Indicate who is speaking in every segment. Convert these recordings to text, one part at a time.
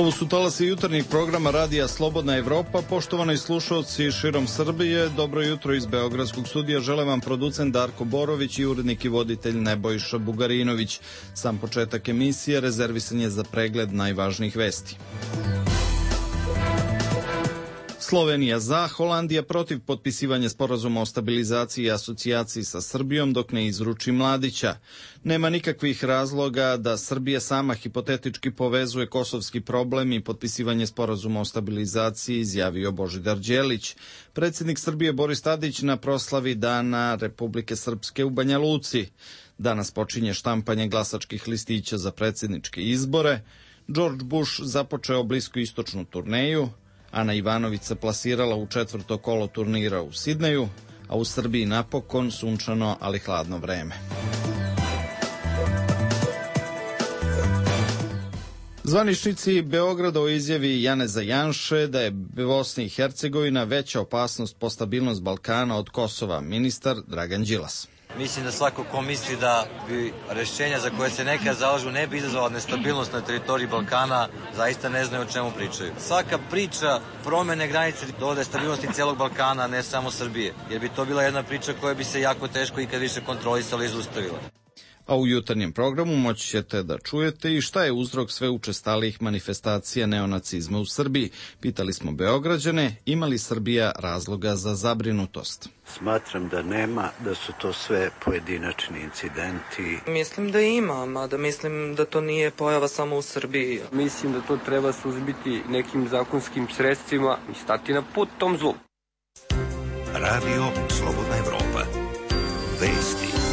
Speaker 1: Ovo su talasi jutarnjeg programa Radija Slobodna Evropa. Poštovani slušalci širom Srbije, dobro jutro iz Beogradskog studija. Žele vam producent Darko Borović i urednik i voditelj Nebojša Bugarinović. Sam početak emisije rezervisan je za pregled najvažnijih vesti. Slovenija za, Holandija protiv potpisivanja sporazuma o stabilizaciji i asocijaciji sa Srbijom dok ne izruči Mladića. Nema nikakvih razloga da Srbija sama hipotetički povezuje kosovski problem i potpisivanje sporazuma o stabilizaciji, izjavio Božidar Đelić. Predsjednik Srbije Boris Tadić na proslavi Dana Republike Srpske u Banja Luci. Danas počinje štampanje glasačkih listića za predsjedničke izbore. George Bush započeo bliskoistočnu turneju. Ana Ivanović se plasirala u četvrto kolo turnira u Sidneju, a u Srbiji napokon sunčano, ali hladno vreme. Zvaničnici Beograda o izjavi Janeza Janše da je Bosna i Hercegovina veća opasnost po stabilnost Balkana od Kosova, ministar Dragan Đilas.
Speaker 2: Mislim da svako ko misli da bi rešenja za koje se nekad zalažu ne bi izazvala nestabilnost na teritoriji Balkana, zaista ne znaju o čemu pričaju. Svaka priča promene granice dovode stabilnosti celog Balkana, ne samo Srbije, jer bi to bila jedna priča koja bi se jako teško ikad više kontrolisala i zaustavila.
Speaker 1: A u jutarnjem programu moći ćete da čujete i šta je uzrok sve učestalijih manifestacija neonacizma u Srbiji. Pitali smo Beograđane, ima li Srbija razloga za zabrinutost?
Speaker 3: Smatram da nema, da su to sve pojedinačni incidenti.
Speaker 4: Mislim da ima, mada mislim da to nije pojava samo u Srbiji.
Speaker 5: Mislim da to treba suzbiti nekim zakonskim sredstvima i stati na put tom zlu.
Speaker 6: Radio Slobodna Evropa. Vesti.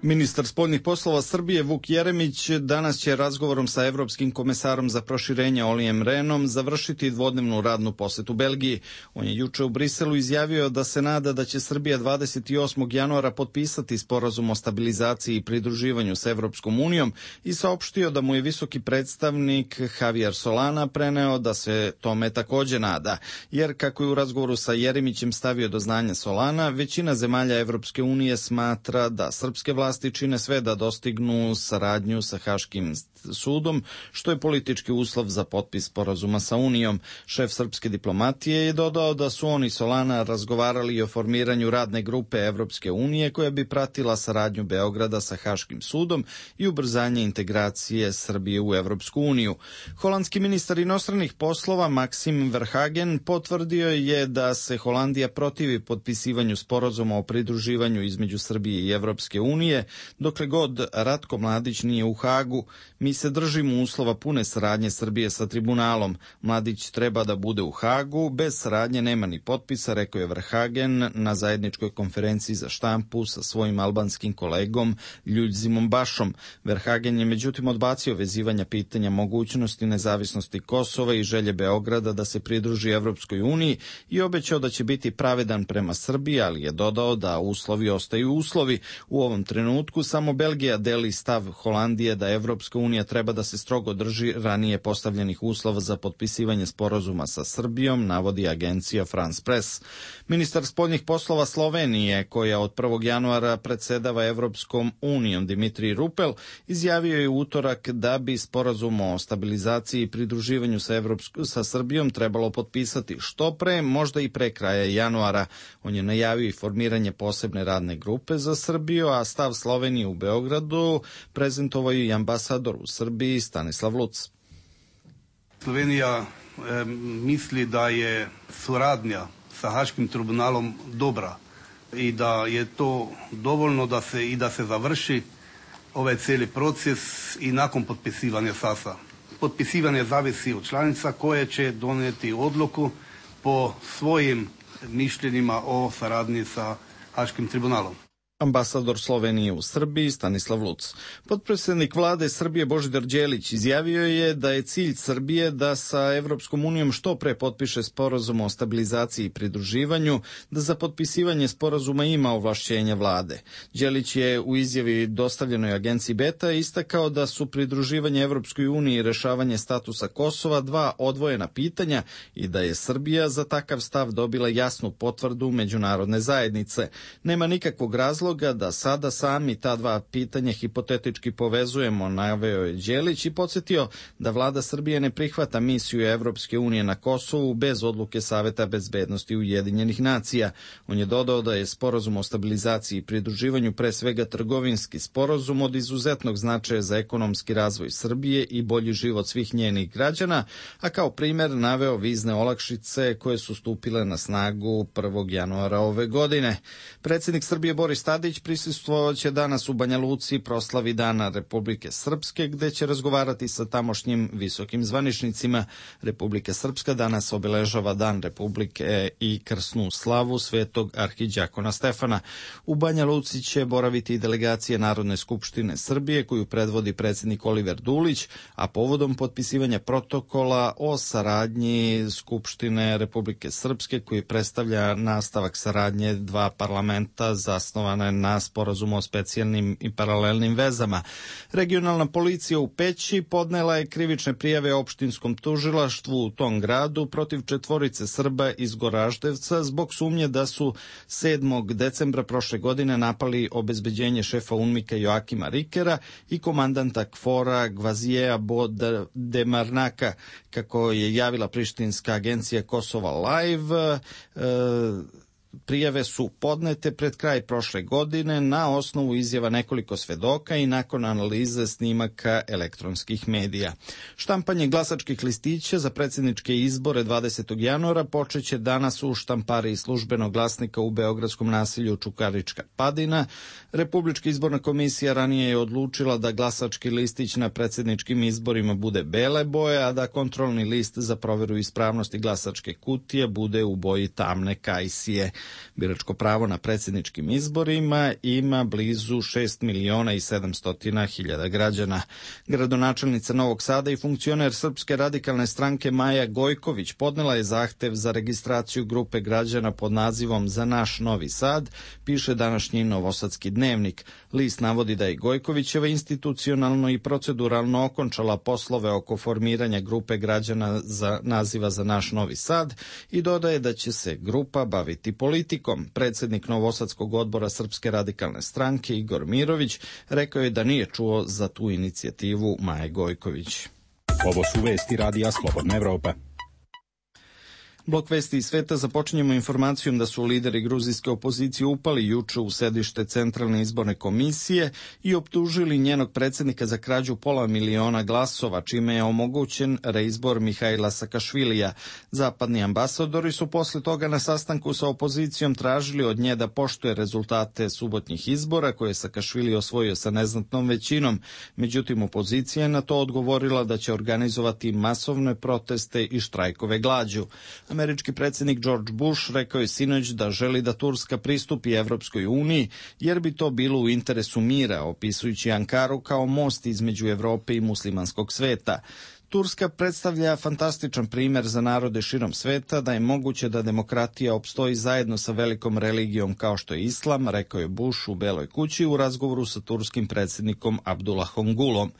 Speaker 1: Ministar spoljnih poslova Srbije Vuk Jeremić danas će razgovorom sa evropskim komesarom za proširenje Olijem Rehnom završiti dvodnevnu radnu posetu Belgiji. On je juče u Briselu izjavio da se nada da će Srbija 28. januara potpisati sporazum o stabilizaciji i pridruživanju s Evropskom unijom i saopštio da mu je visoki predstavnik Javier Solana preneo da se tome takođe nada. Jer, kako je u razgovoru sa Jeremićem stavio do znanja Solana, većina zemalja Evropske unije smatra da srpske vlasti čine sve da dostignu saradnju sa Haškim sudom, što je politički uslov za potpis sporazuma sa Unijom. Šef srpske diplomatije je dodao da su oni Solana razgovarali o formiranju radne grupe Evropske unije koja bi pratila saradnju Beograda sa Haškim sudom i ubrzanje integracije Srbije u Evropsku uniju. Holandski ministar inostranih poslova Maxime Verhagen potvrdio je da se Holandija protivi potpisivanju sporazuma o pridruživanju između Srbije i Evropske unije, dokle god Ratko Mladić nije u Hagu. Mi se držimo uslova pune saradnje Srbije sa tribunalom. Mladić treba da bude u Hagu, bez saradnje nema ni potpisa, rekao je Verhagen na zajedničkoj konferenciji za štampu sa svojim albanskim kolegom Ljudzimom Bašom. Verhagen je međutim odbacio vezivanja pitanja mogućnosti nezavisnosti Kosova i želje Beograda da se pridruži Evropskoj uniji i obećao da će biti pravedan prema Srbiji, ali je dodao da uslovi ostaju uslovi. U ovom trenutku samo Belgija deli stav Holandije da Evropska unija treba da se strogo drži ranije postavljenih uslova za potpisivanje sporazuma sa Srbijom, navodi agencija France Press. Ministar spoljnih poslova Slovenije, koja od 1. januara predsedava Evropskom unijom, Dimitrij Rupel, izjavio je u utorak da bi sporazum o stabilizaciji i pridruživanju sa Srbijom trebalo potpisati što pre, možda i pre kraja januara. On je najavio i formiranje posebne radne grupe za Srbiju, a stav Slovenije u Beogradu prezentovao je i ambasador u Srbiji Stanislav Luc.
Speaker 7: Slovenija misli da je suradnja sa Haškim tribunalom dobra i da je to dovoljno da se završi ovaj cijeli proces i nakon potpisivanja SAS-a. Potpisivanje zavisi od članica koje će donijeti odluku po svojim mišljenjima o saradnji sa Haškim tribunalom.
Speaker 1: Ambasador Slovenije u Srbiji Stanislav Luc. Potpredsjednik vlade Srbije Božidar Đelić izjavio je da je cilj Srbije da sa Evropskom unijom što pre potpiše sporazum o stabilizaciji i pridruživanju, da za potpisivanje sporazuma ima ovlašćenja vlade. Đelić je u izjavi dostavljenoj agenciji Beta istakao da su pridruživanje Evropskoj uniji i rešavanje statusa Kosova dva odvojena pitanja i da je Srbija za takav stav dobila jasnu potvrdu međunarodne zajednice. Nema nikakvog razloga razloga da sada sami ta dva pitanja hipotetički povezujemo, naveo je Đelić i podsjetio da vlada Srbije ne prihvata misiju Evropske unije na Kosovu bez odluke Saveta bezbednosti Ujedinjenih nacija. On je dodao da je sporazum o stabilizaciji i pridruživanju pre svega trgovinski sporazum od izuzetnog značaja za ekonomski razvoj Srbije i bolji život svih njenih građana, a kao primer naveo vizne olakšice koje su stupile na snagu 1. januara ove godine. Predsjednik Srbije Boris Tadić prisustvovaće danas u Banja Luci proslavi Dana Republike Srpske, gde će razgovarati sa tamošnjim visokim zvaničnicima. Republika Srpska danas obeležava Dan Republike i krsnu slavu Svetog arhidjakona Stefana. U Banja Luci će boraviti i delegacije Narodne skupštine Srbije koju predvodi predsjednik Oliver Dulić, a povodom potpisivanja protokola o saradnji Skupštine Republike Srpske koji predstavlja nastavak saradnje dva parlamenta zasnovane na sporazumu o specijalnim i paralelnim vezama. Regionalna policija u Peći podnela je krivične prijave opštinskom tužilaštvu u tom gradu protiv 4 Srba iz Goraždevca zbog sumnje da su 7. decembra prošle godine napali obezbeđenje šefa UNMIK-a Joakima Rikera i komandanta KFOR-a Gvazijeja Bodemarnaka, kako je javila prištinska agencija Kosova Live. Prijave su podnete pred kraj prošle godine na osnovu izjava nekoliko svedoka i nakon analize snimaka elektronskih medija. Štampanje glasačkih listića za predsjedničke izbore 20. januara počeće danas u štampariji Službenog glasnika u beogradskom naselju Čukarička Padina. Republička izborna komisija ranije je odlučila da glasački listić na predsjedničkim izborima bude bele boje, a da kontrolni list za proveru ispravnosti glasačke kutije bude u boji tamne kajsije. Biračko pravo na predsjedničkim izborima ima blizu 6.700.000 građana. Gradonačelnica Novog Sada i funkcioner Srpske radikalne stranke Maja Gojković podnela je zahtev za registraciju grupe građana pod nazivom Za naš Novi Sad, piše današnji Novosadski dnevnik. List navodi da je Gojkovićeva institucionalno i proceduralno okončala poslove oko formiranja grupe građana za naziva Za naš Novi Sad i dodaje da će se grupa baviti politikom. Predsjednik Novosadskog odbora Srpske radikalne stranke Igor Mirović rekao je da nije čuo za tu inicijativu Maje Gojković.
Speaker 8: Ovo su vesti Radija Slobodna Evropa.
Speaker 1: Blok vesti iz sveta započinjemo informacijom da su lideri gruzijske opozicije upali juče u sedište Centralne izborne komisije i optužili njenog predsjednika za krađu 500.000 glasova, čime je omogućen reizbor Mihajla Sakašvilija. Zapadni ambasadori su posle toga na sastanku sa opozicijom tražili od nje da poštuje rezultate subotnjih izbora koje je Sakašvili osvojio sa neznatnom većinom. Međutim, opozicija je na to odgovorila da će organizovati masovne proteste i štrajkove glađu. Američki predsjednik George Bush rekao je sinoć da želi da Turska pristupi Evropskoj uniji, jer bi to bilo u interesu mira, opisujući Ankaru kao most između Evrope i muslimanskog sveta. Turska predstavlja fantastičan primjer za narode širom sveta da je moguće da demokratija opstoji zajedno sa velikom religijom kao što je islam, rekao je Bush u Beloj kući u razgovoru sa turskim predsjednikom Abdullahom Gulom.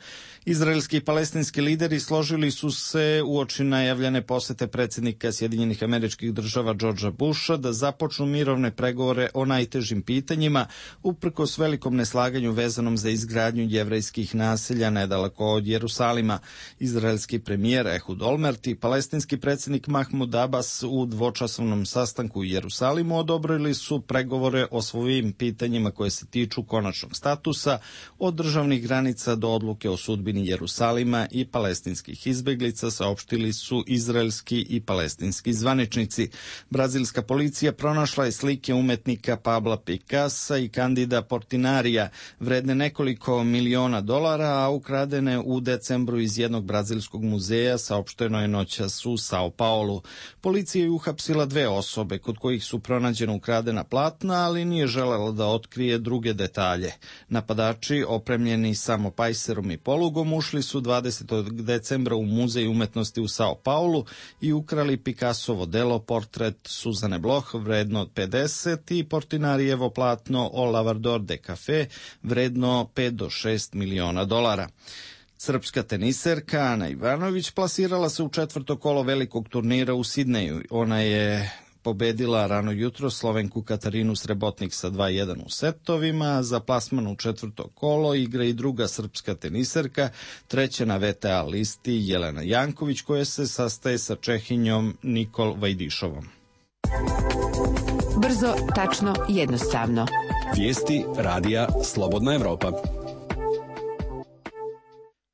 Speaker 1: Izraelski i palestinski lideri složili su se uoči najavljene posete predsjednika Sjedinjenih Američkih Država Georgea Busha da započnu mirovne pregovore o najtežim pitanjima uprkos velikom neslaganju vezanom za izgradnju jevrejskih naselja nedaleko od Jerusalima. Izraelski premijer Ehud Olmert i palestinski predsjednik Mahmud Abbas u dvočasovnom sastanku u Jerusalimu odobrili su pregovore o svojim pitanjima koje se tiču konačnog statusa, od državnih granica do odluke o sudbini Jerusalima i palestinskih izbeglica, saopštili su izraelski i palestinski zvaničnici. Brazilska policija pronašla je slike umetnika Pabla Picassa i Candida Portinarija, vredne nekoliko miliona dolara, a ukradene u decembru iz jednog brazilskog muzeja, saopšteno je noćas u Sao Paulu. Policija je uhapsila 2 osobe kod kojih su pronađena ukradena platna, ali nije želela da otkrije druge detalje. Napadači, opremljeni samo pajserom i polugom, ušli su 20. decembra u Muzej umetnosti u Sao Paulu i ukrali Picassovo delo Portret Suzane Bloch vredno od 50 i Portinarijevo platno O Lavrador de Café vredno 5 do 6 miliona dolara. Srpska teniserka Ana Ivanović plasirala se u 4. kolo velikog turnira u Sidneju. Ona je pobedila rano jutro Slovenku Katarinu Srebotnik sa 2:1 u setovima. Za plasman u četvrto kolo igra i druga srpska teniserka, treća na VTA listi Jelena Janković, koja se sastaje sa Čehinjom Nikol Vajdišovom.
Speaker 9: Brzo, tačno, jednostavno.
Speaker 8: Vijesti radija Slobodna Evropa.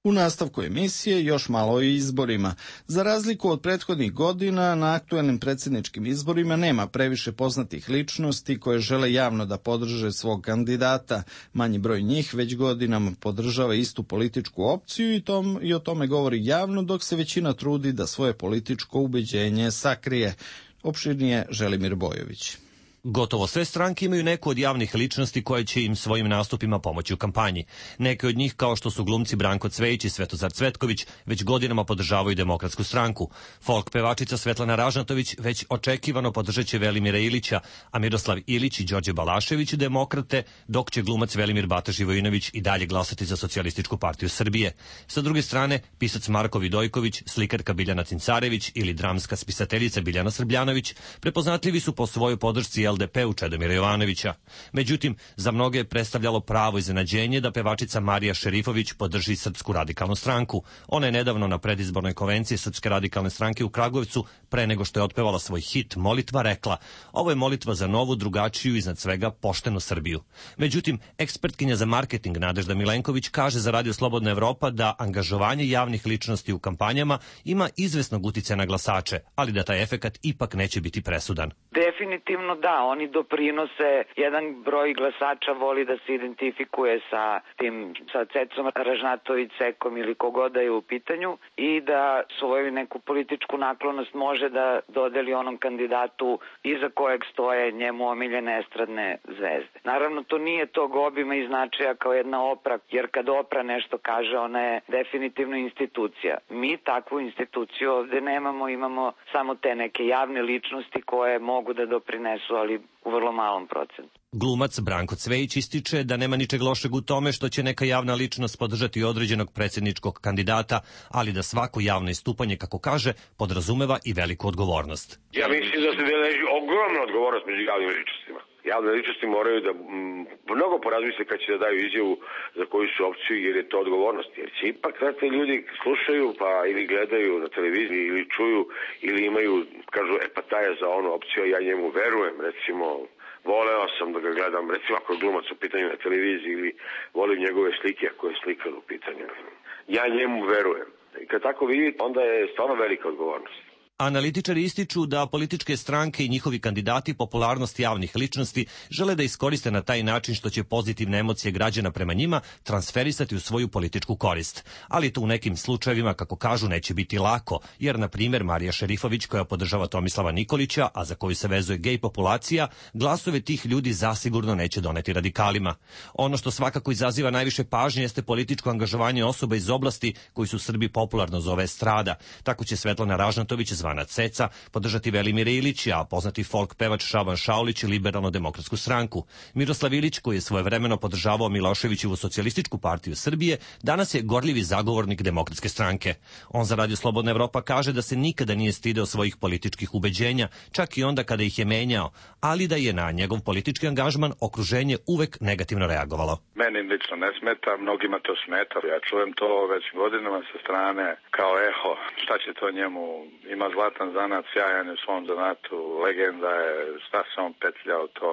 Speaker 1: U nastavku emisije još malo o izborima. Za razliku od prethodnih godina, na aktuelnim predsjedničkim izborima nema previše poznatih ličnosti koje žele javno da podrže svog kandidata. Manji broj njih već godinama podržava istu političku opciju i o tome govori javno, dok se većina trudi da svoje političko ubeđenje sakrije. Opširnije Želimir Bojović.
Speaker 10: Gotovo sve stranke imaju neku od javnih ličnosti koje će im svojim nastupima pomoći u kampanji. Neke od njih, kao što su glumci Branko Cvejić i Svetozar Cvetković, već godinama podržavaju Demokratsku stranku. Folk pevačica Svetlana Ražnatović već očekivano podržaće Velimira Ilića, a Miroslav Ilić i Đorđe Balašević demokrate, dok će glumac Velimir Bata Živojinović i dalje glasati za Socijalističku partiju Srbije. Sa druge strane, pisac Marko Vidojković, slikarka Biljana Cincarević ili dramska spisateljica Biljana Srbljanović prepoznatljivi su po svojoj podršci LDP-u Čedomira Jovanovića. Međutim, za mnoge je predstavljalo pravo iznenađenje da pevačica Marija Šerifović podrži Srpsku radikalnu stranku. Ona je nedavno na predizbornoj konvenciji Srpske radikalne stranke u Kragujevcu, pre nego što je otpevala svoj hit Molitva, rekla: "Ovo je molitva za novu, drugačiju, iznad svega poštenu Srbiju." Međutim, ekspertkinja za marketing Nadežda Milenković kaže za Radio Slobodna Evropa da angažovanje javnih ličnosti u kampanjama ima izvesnog uticaja na glasače, ali da taj efekat ipak neće biti presudan.
Speaker 11: Definitivno da, oni doprinose, jedan broj glasača voli da se identifikuje sa Cecom Ražnatović, Cekom ili kogoda je u pitanju i da svoju neku političku naklonost može da dodeli onom kandidatu iza kojeg stoje njemu omiljene estradne zvezde. Naravno, to nije tog obima i značaja kao jedna Opra, jer kad Opra nešto kaže, ona je definitivno institucija. Mi takvu instituciju ovde nemamo, imamo samo te neke javne ličnosti koje mogu da doprinesu, ali u vrlo malom procentu.
Speaker 10: Glumac Branko Cvejić ističe da nema ničeg lošeg u tome što će neka javna ličnost podržati određenog predsjedničkog kandidata, ali da svako javno istupanje, kako kaže, podrazumeva i veliku odgovornost.
Speaker 12: Ja mislim da se deleži ogromna odgovornost među javnim ličnostima. Javne ličnosti moraju da mnogo porazmisle kad će da daju izjavu za koju su opciju, jer je to odgovornost. Jer će ipak znate, ljudi slušaju pa ili gledaju na televiziji ili čuju ili imaju, kažu, pa taj je za onu opciju, ja njemu verujem, recimo, voleo sam da ga gledam, recimo ako je glumac u pitanju na televiziji ili volim njegove slike ako je slikar u pitanju. Ja njemu verujem. I kad tako vidite, onda je stvarno velika odgovornost.
Speaker 10: Analitičari ističu da političke stranke i njihovi kandidati popularnost javnih ličnosti žele da iskoriste na taj način što će pozitivne emocije građana prema njima transferisati u svoju političku korist. Ali to u nekim slučajevima, kako kažu, neće biti lako, jer, na primjer, Marija Šerifović, koja podržava Tomislava Nikolića, a za koju se vezuje gej populacija, glasove tih ljudi zasigurno neće doneti radikalima. Ono što svakako izaziva najviše pažnje jeste političko angažovanje osoba iz oblasti koji su Srbi popularno zove estrada. Tako će Svetlana Ražnatović, zvana Ceca, podržati Velimira Ilića, a poznati folk pevač Šaban Šaulić Liberalno-demokratsku stranku. Miroslav Ilić, koji je svojevremeno podržavao Miloševićevu Socijalističku partiju Srbije, danas je gorljivi zagovornik Demokratske stranke. On za Radio Slobodna Evropa kaže da se nikada nije stideo svojih političkih ubeđenja, čak i onda kada ih je menjao, ali da je na njegov politički angažman okruženje uvek negativno reagovalo.
Speaker 13: Meni lično ne smeta, mnogima to smeta. Ja čujem to već godinama sa strane kao eho. Šta će to njemu? Ima zlatan zanat, sjajan je u svom zanatu, legenda je, šta se on petljao to.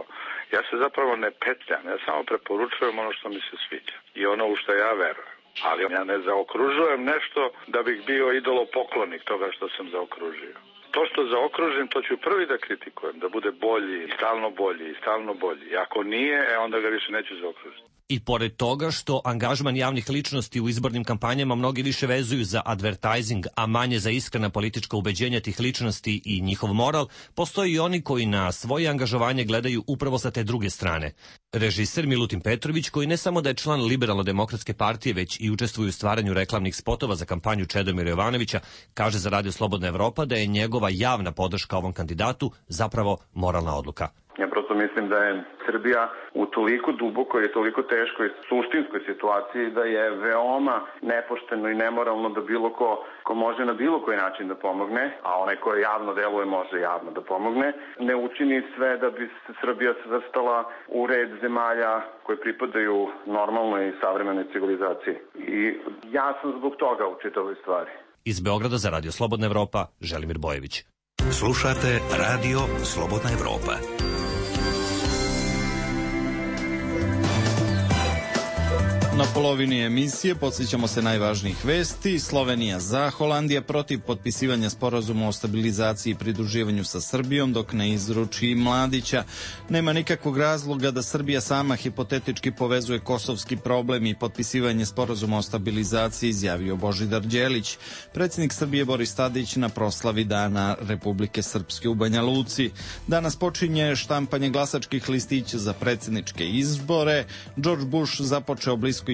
Speaker 13: Ja se zapravo ne petljam, ja samo preporučujem ono što mi se sviđa i ono u što ja verujem. Ali ja ne zaokružujem nešto da bih bio idolopoklonik toga što sam zaokružio. To što zaokružim, to ću prvi da kritikujem, da bude bolji, stalno bolji, stalno bolji. I ako nije, onda ga više neću zaokružiti.
Speaker 10: I pored toga što angažman javnih ličnosti u izbornim kampanjama mnogi više vezuju za advertising, a manje za iskrena politička ubeđenja tih ličnosti i njihov moral, postoji i oni koji na svoje angažovanje gledaju upravo sa te druge strane. Režiser Milutin Petrović, koji ne samo da je član Liberalno-demokratske partije, već i učestvuje u stvaranju reklamnih spotova za kampanju Čedomira Jovanovića, kaže za Radio Slobodna Evropa da je njegova javna podrška ovom kandidatu zapravo moralna odluka.
Speaker 14: Ja prosto mislim da je Srbija u toliko dubokoj i toliko teškoj suštinskoj situaciji da je veoma nepošteno i nemoralno da bilo ko može na bilo koji način da pomogne, a onaj ko javno deluje može javno da pomogne, ne učini sve da bi se Srbija svrstala u red zemalja koje pripadaju normalnoj i savremenoj civilizaciji. I ja sam zbog toga u čitavoj stvari.
Speaker 10: Iz Beograda za Radio Slobodna Evropa, Želimir Bojević.
Speaker 6: Slušate Radio Slobodna Evropa.
Speaker 1: Na polovini emisije podsjećamo se najvažnijih vesti. Slovenija za, Holandija protiv potpisivanja sporazuma o stabilizaciji i pridruživanju sa Srbijom dok ne izruči Mladića. Nema nikakvog razloga da Srbija sama hipotetički povezuje kosovski problem i potpisivanje sporazuma o stabilizaciji, izjavio Božidar Đelić. Predsjednik Srbije Boris Tadić na proslavi Dana Republike Srpske u Banja Luci. Danas počinje štampanje glasačkih listića za predsjedničke izbore. George Bush započeo bliskoistočnu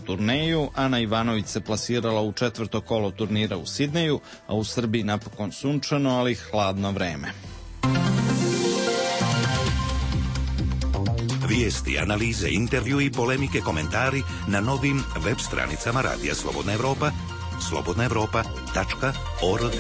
Speaker 1: turneju, Ana Ivanović se plasirala u 4. kolo turnira u Sidneju, a u Srbiji napokon sunčano, ali hladno vreme.
Speaker 6: Vijesti, analize, intervju i polemike, komentari na novim web stranicama Radija Slobodna Evropa, slobodnaevropa.org.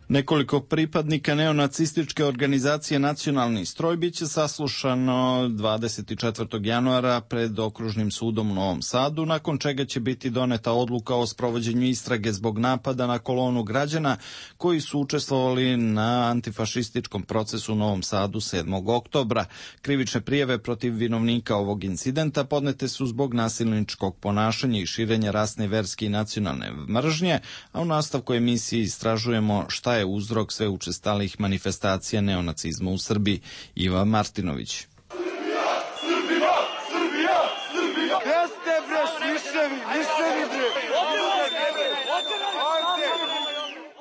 Speaker 1: Nekoliko pripadnika neonacističke organizacije Nacionalni stroj biće saslušano 24. januara pred Okružnim sudom u Novom Sadu, nakon čega će biti doneta odluka o sprovođenju istrage zbog napada na kolonu građana koji su učestvovali na antifašističkom procesu u Novom Sadu 7. oktobra. Krivične prijave protiv vinovnika ovog incidenta podnete su zbog nasilničkog ponašanja i širenja rasne, verske i nacionalne mržnje, a u nastavku emisije istražujemo šta je uzrok sve učestalih manifestacija neonacizma u Srbiji. Iva Martinović.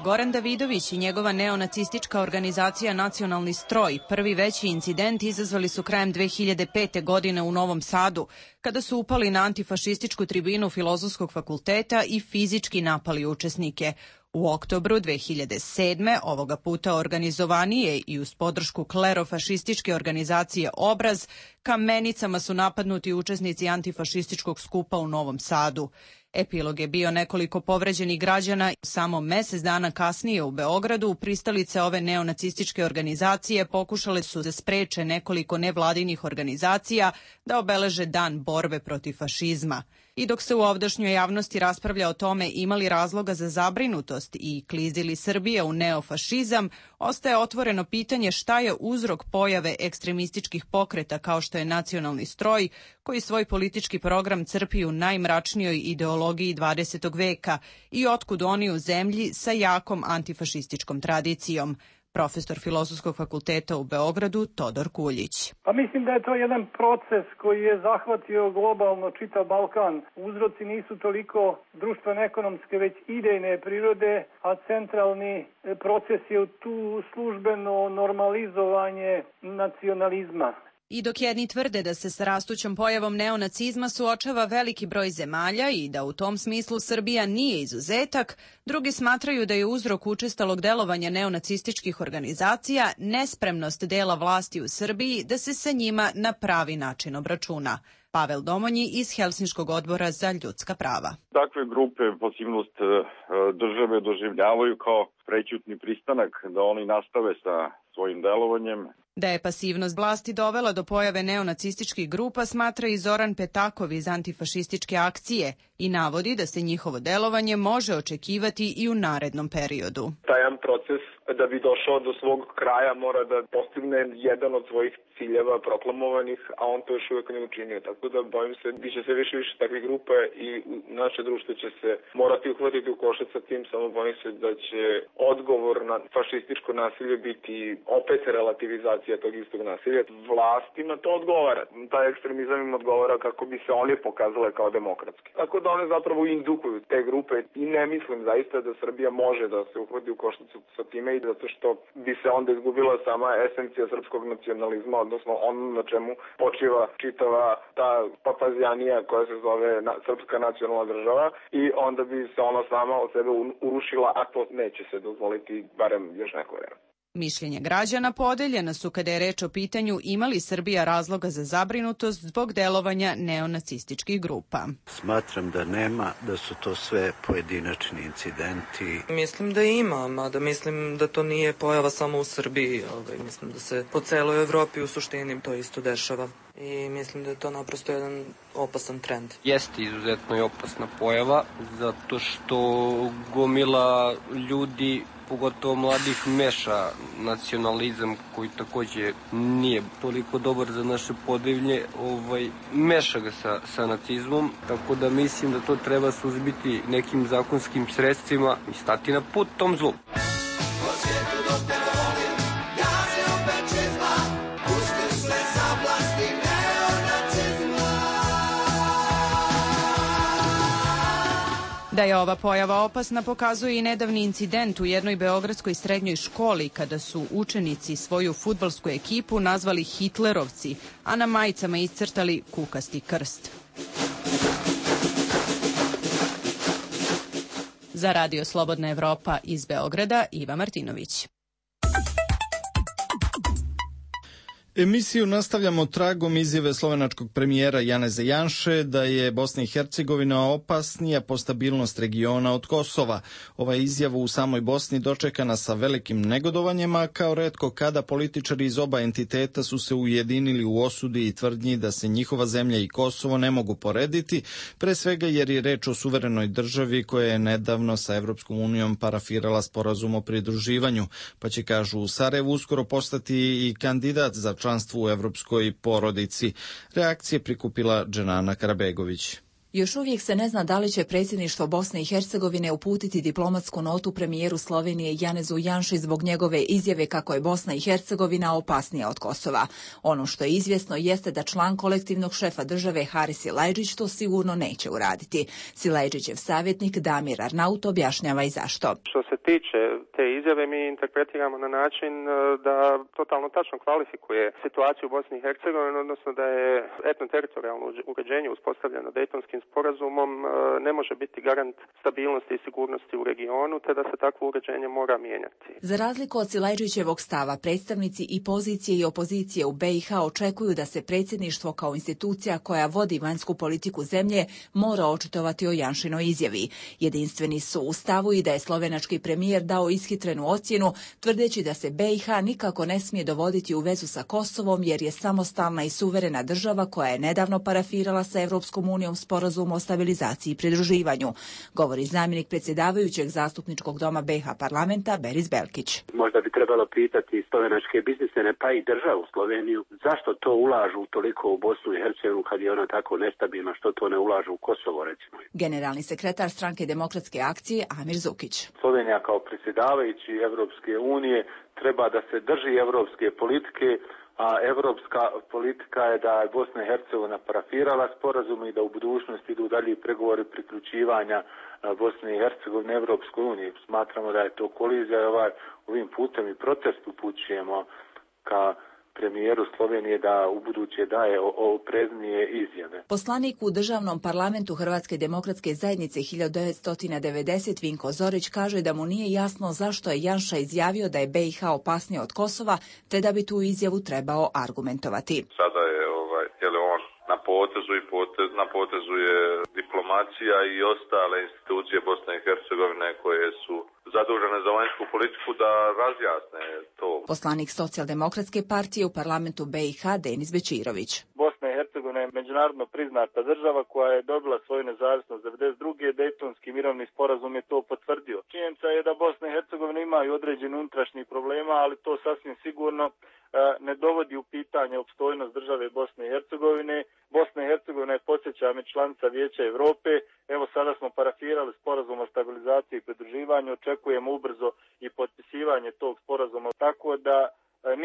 Speaker 15: Goran Davidović i njegova neonacistička organizacija Nacionalni stroj prvi veći incident izazvali su krajem 2005. godine u Novom Sadu, kada su upali na antifašističku tribinu Filozofskog fakulteta i fizički napali učesnike. U oktobru 2007. ovoga puta organizovanije i uz podršku klerofašističke organizacije Obraz, kamenicama su napadnuti učesnici antifašističkog skupa u Novom Sadu. Epilog je bio nekoliko povređenih građana. Samo mesec dana kasnije u Beogradu pristalice ove neonacističke organizacije pokušale su da spreče nekoliko nevladinih organizacija da obeleže Dan borbe protiv fašizma. I dok se u ovdašnjoj javnosti raspravlja o tome imali razloga za zabrinutost i klizili Srbije u neofašizam, ostaje otvoreno pitanje šta je uzrok pojave ekstremističkih pokreta kao što je Nacionalni stroj, koji svoj politički program crpi u najmračnijoj ideologiji 20. veka i otkud oni u zemlji sa jakom antifašističkom tradicijom. Profesor Filozofskog fakulteta u Beogradu Todor Kuljić.
Speaker 16: Pa mislim da je to jedan proces koji je zahvatio globalno čitav Balkan. Uzroci nisu toliko društveno-ekonomske, već idejne prirode, a centralni proces je tu službeno normalizovanje nacionalizma.
Speaker 15: I dok jedni tvrde da se sa rastućom pojavom neonacizma suočava veliki broj zemalja i da u tom smislu Srbija nije izuzetak, drugi smatraju da je uzrok učestalog delovanja neonacističkih organizacija nespremnost dela vlasti u Srbiji da se sa njima na pravi način obračuna. Pavel Domonji iz Helsinškog odbora za ljudska prava.
Speaker 17: Takve grupe pasivnost države doživljavaju kao prećutni pristanak da oni nastave sa svojim delovanjem.
Speaker 15: Da je pasivnost vlasti dovela do pojave neonacističkih grupa smatra i Zoran Petakov iz Antifašističke akcije i navodi da se njihovo delovanje može očekivati i u narednom periodu.
Speaker 18: Taj jedan proces da bi došao do svog kraja mora da postigne jedan od svojih ciljeva proklamovanih, a on to još uvijek ne učinio. Tako da bojim se, biće sve više takvih grupa i naše društvo će se morati uhvatiti u košac sa tim, samo bojim se da će odgovor na fašističko nasilje biti opet relativizacija tog istog nasilja. Vlastima to odgovara. Taj ekstremizam im odgovara kako bi se oni pokazale kao demokratski. Tako da one zapravo indukuju te grupe i ne mislim zaista da Srbija može da se uhvati u koštac sa time i zato što bi se onda izgubila sama esencija srpskog nacionalizma, odnosno ono na čemu počiva čitava ta papazijanija koja se zove srpska nacionalna država i onda bi se ona sama od sebe urušila, a to neće se dozvoliti barem još neko vreme.
Speaker 15: Mišljenje građana podeljena su kada je reč o pitanju ima li Srbija razloga za zabrinutost zbog delovanja neonacističkih grupa.
Speaker 3: Smatram da nema, da su to sve pojedinačni incidenti.
Speaker 4: Mislim da ima, mada mislim da to nije pojava samo u Srbiji. Mislim da se po celoj Evropi u suštini to isto dešava. I mislim da je to naprosto jedan opasan trend.
Speaker 5: Jeste izuzetno i opasna pojava, zato što gomila ljudi, pogotovo mladih, meša nacionalizam koji takođe nije toliko dobar za naše podevlje, meša ga sa nacizmom, tako da mislim da to treba suzbiti nekim zakonskim sredstvima i stati na put tom zlu.
Speaker 15: Da je ova pojava opasna pokazuje i nedavni incident u jednoj beogradskoj srednjoj školi kada su učenici svoju fudbalsku ekipu nazvali Hitlerovci, a na majicama iscrtali kukasti krst. Za Radio Slobodna Evropa iz Beograda, Iva Martinović.
Speaker 1: Emisiju nastavljamo tragom izjave slovenačkog premijera Janeza Janše da je Bosna i Hercegovina opasnija po stabilnost regiona od Kosova. Ova izjava u samoj Bosni dočekana sa velikim negodovanjem, a kao retko kada političari iz oba entiteta su se ujedinili u osudi i tvrdnji da se njihova zemlja i Kosovo ne mogu porediti, pre svega jer je reč o suverenoj državi koja je nedavno sa Evropskom unijom parafirala sporazum o pridruživanju, pa će, kažu u Sarajevu, uskoro postati i kandidat za članstvo u evropskoj porodici. Reakcije prikupila Dženana Karabegović.
Speaker 19: Još uvijek se ne zna da li će predsjedništvo Bosne i Hercegovine uputiti diplomatsku notu premijeru Slovenije Janezu Janši zbog njegove izjave kako je Bosna i Hercegovina opasnija od Kosova. Ono što je izvjesno jeste da član kolektivnog šefa države Haris Silajdžić to sigurno neće uraditi. Silajdžićev savjetnik Damir Arnaut objašnjava i zašto.
Speaker 20: Što se tiče te izjave, mi interpretiramo na način da totalno tačno kvalifikuje situaciju u Bosni i Hercegovini, odnosno da je etnoteritorijalno uređenje uspostavljeno Dejtonskim sporazumom ne može biti garant stabilnosti i sigurnosti u regionu, te da se takvo uređenje mora mijenjati.
Speaker 19: Za razliku od Silajdžićevog stava, predstavnici i pozicije i opozicije u BiH očekuju da se predsjedništvo kao institucija koja vodi vanjsku politiku zemlje mora očitovati o Janšinoj izjavi. Jedinstveni su u stavu i da je slovenački premijer dao ishitrenu ocjenu, tvrdeći da se BiH nikako ne smije dovoditi u vezu sa Kosovom jer je samostalna i suverena država koja je nedavno parafirala sa Evropskom unijom sporazum o stabilizaciji i pridruživanju, govori zamjenik predsjedavajućeg zastupničkog doma BiH parlamenta Beris Belkić.
Speaker 21: Možda bi trebalo pitati slovenačke biznismene pa i državu Sloveniju zašto to ulažu toliko u Bosnu i Hercegovinu kad je ona tako nestabilna, što to ne ulažu u Kosovo recimo.
Speaker 19: Generalni sekretar Stranke demokratske akcije Amir Zukić.
Speaker 22: Slovenija kao predsjedavajući Evropske unije treba da se drži evropske politike, a evropska politika je da je Bosna i Hercegovina parafirala sporazum i da u budućnosti idu dalje pregovori priključivanja Bosne i Hercegovine Evropskoj uniji. Smatramo da je to kolizija i ovim putem i protest upućujemo ka premijeru Slovenije da u buduće daje opreznije izjave.
Speaker 19: Poslanik u državnom parlamentu Hrvatske demokratske zajednice 1990 Vinko Zorić kaže da mu nije jasno zašto je Janša izjavio da je BiH opasnija od Kosova, te da bi tu izjavu trebao argumentovati.
Speaker 23: Sada je on na potezu i na potezu je diplomacija i ostale institucije Bosne i Hercegovine koje su zadužene za vanjsku politiku da razjasne to.
Speaker 19: Poslanik Socijaldemokratske partije u parlamentu BiH Denis Bečirović.
Speaker 24: Bosna i Hercegovina je međunarodno priznata država koja je dobila svoju nezavisnost 1992. Dejtonski mirovni sporazum je to potvrdio. Činjenica je da Bosna i Hercegovina imaju određeni unutrašnjih problema, ali to sasvim sigurno ne dovodi u pitanje opstojnost države Bosne i Hercegovine. Bosna i Hercegovina je, podsjećam, članica Vijeća Evrope. Evo sada smo parafirali sporazum o stabilizaciji i pridruživanju. Očekujemo ubrzo i potpisivanje tog sporazuma. Tako da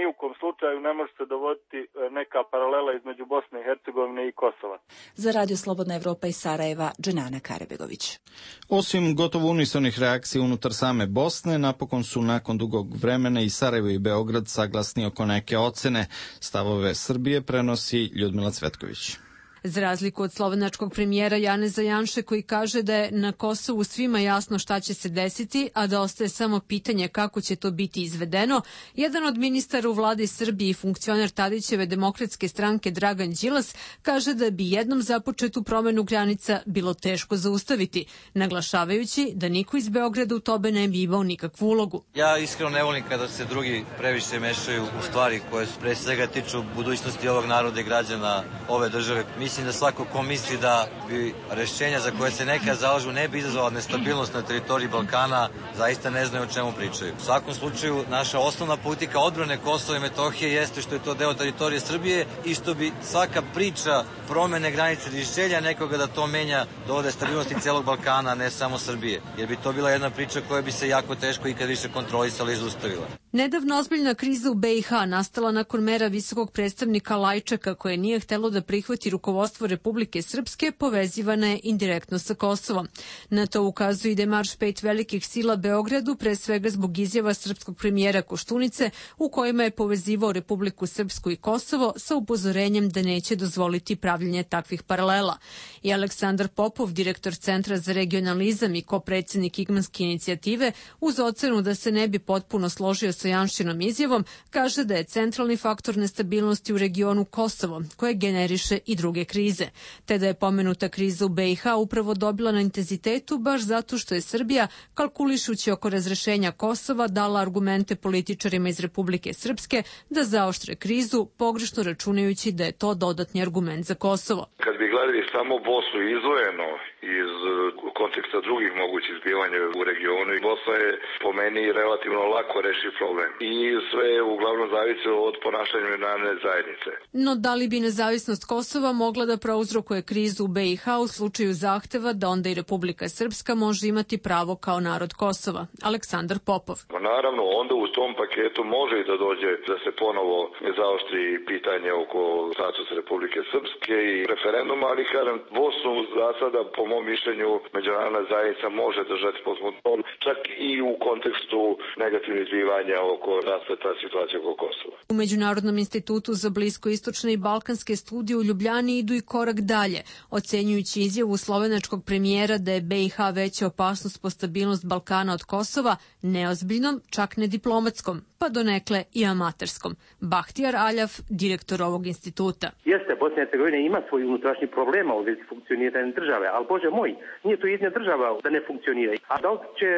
Speaker 24: ni u kom slučaju ne može se dovoditi neka paralela između Bosne i Hercegovine i Kosova.
Speaker 19: Za Radio Slobodna Evropa iz Sarajeva, Dženana Karebegović.
Speaker 1: Osim gotovo unisonih reakcija unutar same Bosne, napokon su nakon dugog vremena i Sarajevo i Beograd saglasni oko neke ocene. Stavove Srbije prenosi Ljudmila Cvetković.
Speaker 2: Za razliku od slovenačkog premijera Janeza Janše koji kaže da je na Kosovu svima jasno šta će se desiti, a da ostaje samo pitanje kako će to biti izvedeno, jedan od ministara u vladi Srbije i funkcioner Tadićeve demokratske stranke Dragan Đilas kaže da bi jednom započetu promenu granica bilo teško zaustaviti, naglašavajući da niko iz Beograda u tome ne bi imao nikakvu ulogu.
Speaker 7: Ja iskreno ne volim kada se drugi previše mešaju u stvari koje pre svega tiču budućnosti ovog naroda i građana ove države. Mislim da svako ko misli da bi rešenja za koje se neka zalažu ne bi izazvala nestabilnost na teritoriji Balkana, zaista ne znaju o čemu pričaju. U svakom slučaju, naša osnovna politika odbrane Kosova i Metohije jeste što je to deo teritorije Srbije i što bi svaka priča promene granice ili želja nekoga da to menja dovode stabilnosti celog Balkana, a ne samo Srbije. Jer bi to bila jedna priča koja bi se jako teško ikad više kontrolisala i zaustavila.
Speaker 2: Nedavno ozbiljna kriza u BiH nastala nakon mera visokog predstavnika Lajčaka koje nije htelo da prihvati rukovodstvo Republike Srpske, povezivana je indirektno sa Kosovom. Na to ukazuje i demarš 5 velikih sila Beogradu, pre svega zbog izjava srpskog premijera Koštunice u kojima je povezivao Republiku Srpsku i Kosovo sa upozorenjem da neće dozvoliti pravljenje takvih paralela. I Aleksandar Popov, direktor Centra za regionalizam i kopredsednik Igmanske inicijative, uz ocenu da se ne bi potpuno složio sa Janšinom izjavom, kaže da je centralni faktor nestabilnosti u regionu Kosovo, koje generiše i druge krize, te da je pomenuta kriza u BiH upravo dobila na intenzitetu baš zato što je Srbija, kalkulišući oko razrešenja Kosova, dala argumente političarima iz Republike Srpske da zaoštre krizu, pogrešno računajući da je to dodatni argument za Kosovo.
Speaker 13: Kad bi gledali samo Bosnu izdvojeno iz konteksta drugih mogućih zbivanja u regionu, Bosna je po meni relativno lako reši problem i sve je uglavnom zavisilo od ponašanja međunarodne zajednice.
Speaker 2: No da li bi nezavisnost Kosova mogla da prouzrokuje krizu u BiH u slučaju zahteva da onda i Republika Srpska može imati pravo kao narod Kosova? Aleksandar Popov.
Speaker 13: Naravno, onda u tom paketu može i da dođe da se ponovo zaoštri pitanje oko statusa Republike Srpske i referenduma, ali kažem, Bosnu za sada, po mom mišljenju, međunarodna zajednica može držati pod kontrolom, čak i u kontekstu negativnih zbivanja oko raspleta situacije oko Kosova.
Speaker 2: U Međunarodnom institutu za bliskoistočne i balkanske studije u Ljubljani idu i korak dalje, ocenjujući izjavu slovenačkog premijera da je BiH veća opasnost po stabilnost Balkana od Kosova, neozbiljnom, čak ne diplomatskom, pa donekle i amaterskom. Bahtijar Aljaf, direktor ovog instituta.
Speaker 8: Jeste, Bosna i Hercegovina ima svoj unutrašnji problema u vezi funkcioniranja države, ali Bože moj, nije to jedna država da ne funkcionira. A da li će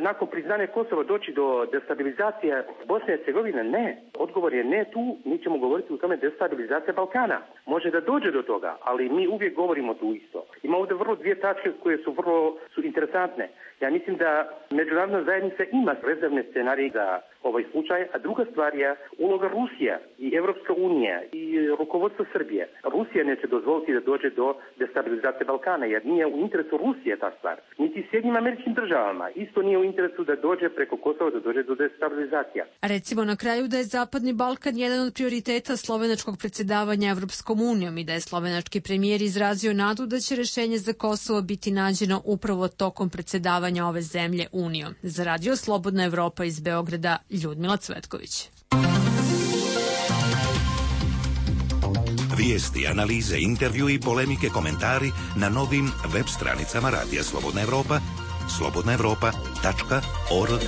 Speaker 8: nakon priznanja Kosova doći do destabilizacije Bosne i Hercegovine? Ne. Odgovor je ne tu, mi ćemo govoriti o tome destabilizacija Balkana. Može da dođe do toga, ali mi uvijek govorimo tu isto. Ima ovdje vrlo dvije tačke koje su vrlo interesantne. Ja mislim da međunarodna zajednica ima rezervne scenarije za ovaj slučaj, a druga stvar je uloga Rusija i Evropska unija i rukovodstvo Srbije. Rusija neće dozvoliti da dođe do destabilizacije Balkana, jer nije u interesu Rusije ta stvar. Niti Sjedinjenim Američkim Državama isto nije u interesu da dođe preko Kosova, da dođe do destabilizacija.
Speaker 2: Recimo na kraju da je Zapadni Balkan jedan od prioriteta slovenačkog predsjedavanja Evropskom unijom i da je slovenački premijer izrazio nadu da će rešenje za Kosovo biti nađeno upravo tokom predsjedavanja ove zemlje Unijom. Za Radio Slobodna Evropa iz Beograda, Ljudmila Cvetković.
Speaker 6: Vijesti, analize, intervju i polemike, komentari na novim web stranicama Radija Slobodna Evropa, slobodnaevropa.org.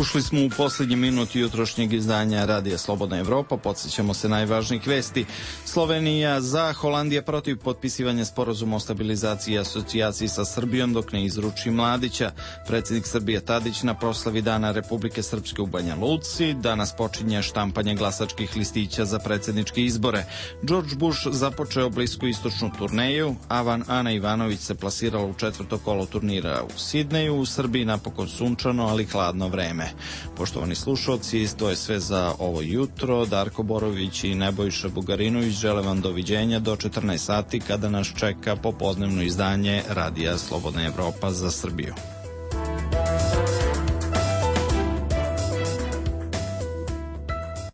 Speaker 1: Ušli smo u posljednji minut jutrošnjeg izdanja Radija Slobodna Evropa. Podsjećamo se najvažnijih vesti. Slovenija za, Holandija protiv potpisivanja sporazuma o stabilizaciji i asocijaciji sa Srbijom dok ne izruči Mladića. Predsjednik Srbije Tadić na proslavi Dana Republike Srpske u Banja Luci. Danas počinje štampanje glasačkih listića za predsjedničke izbore. George Bush započeo bliskoistočnu turneju, a Ana Ivanović se plasirala u četvrto kolo turnira u Sidneju. U Srbiji napokon sunčano, ali hladno vreme. vreme. Poštovani slušalci, to je sve za ovo jutro. Darko Borović i Nebojša Bugarinović žele vam doviđenja do 14 sati kada nas čeka popodnevno izdanje Radija Slobodna Evropa za Srbiju.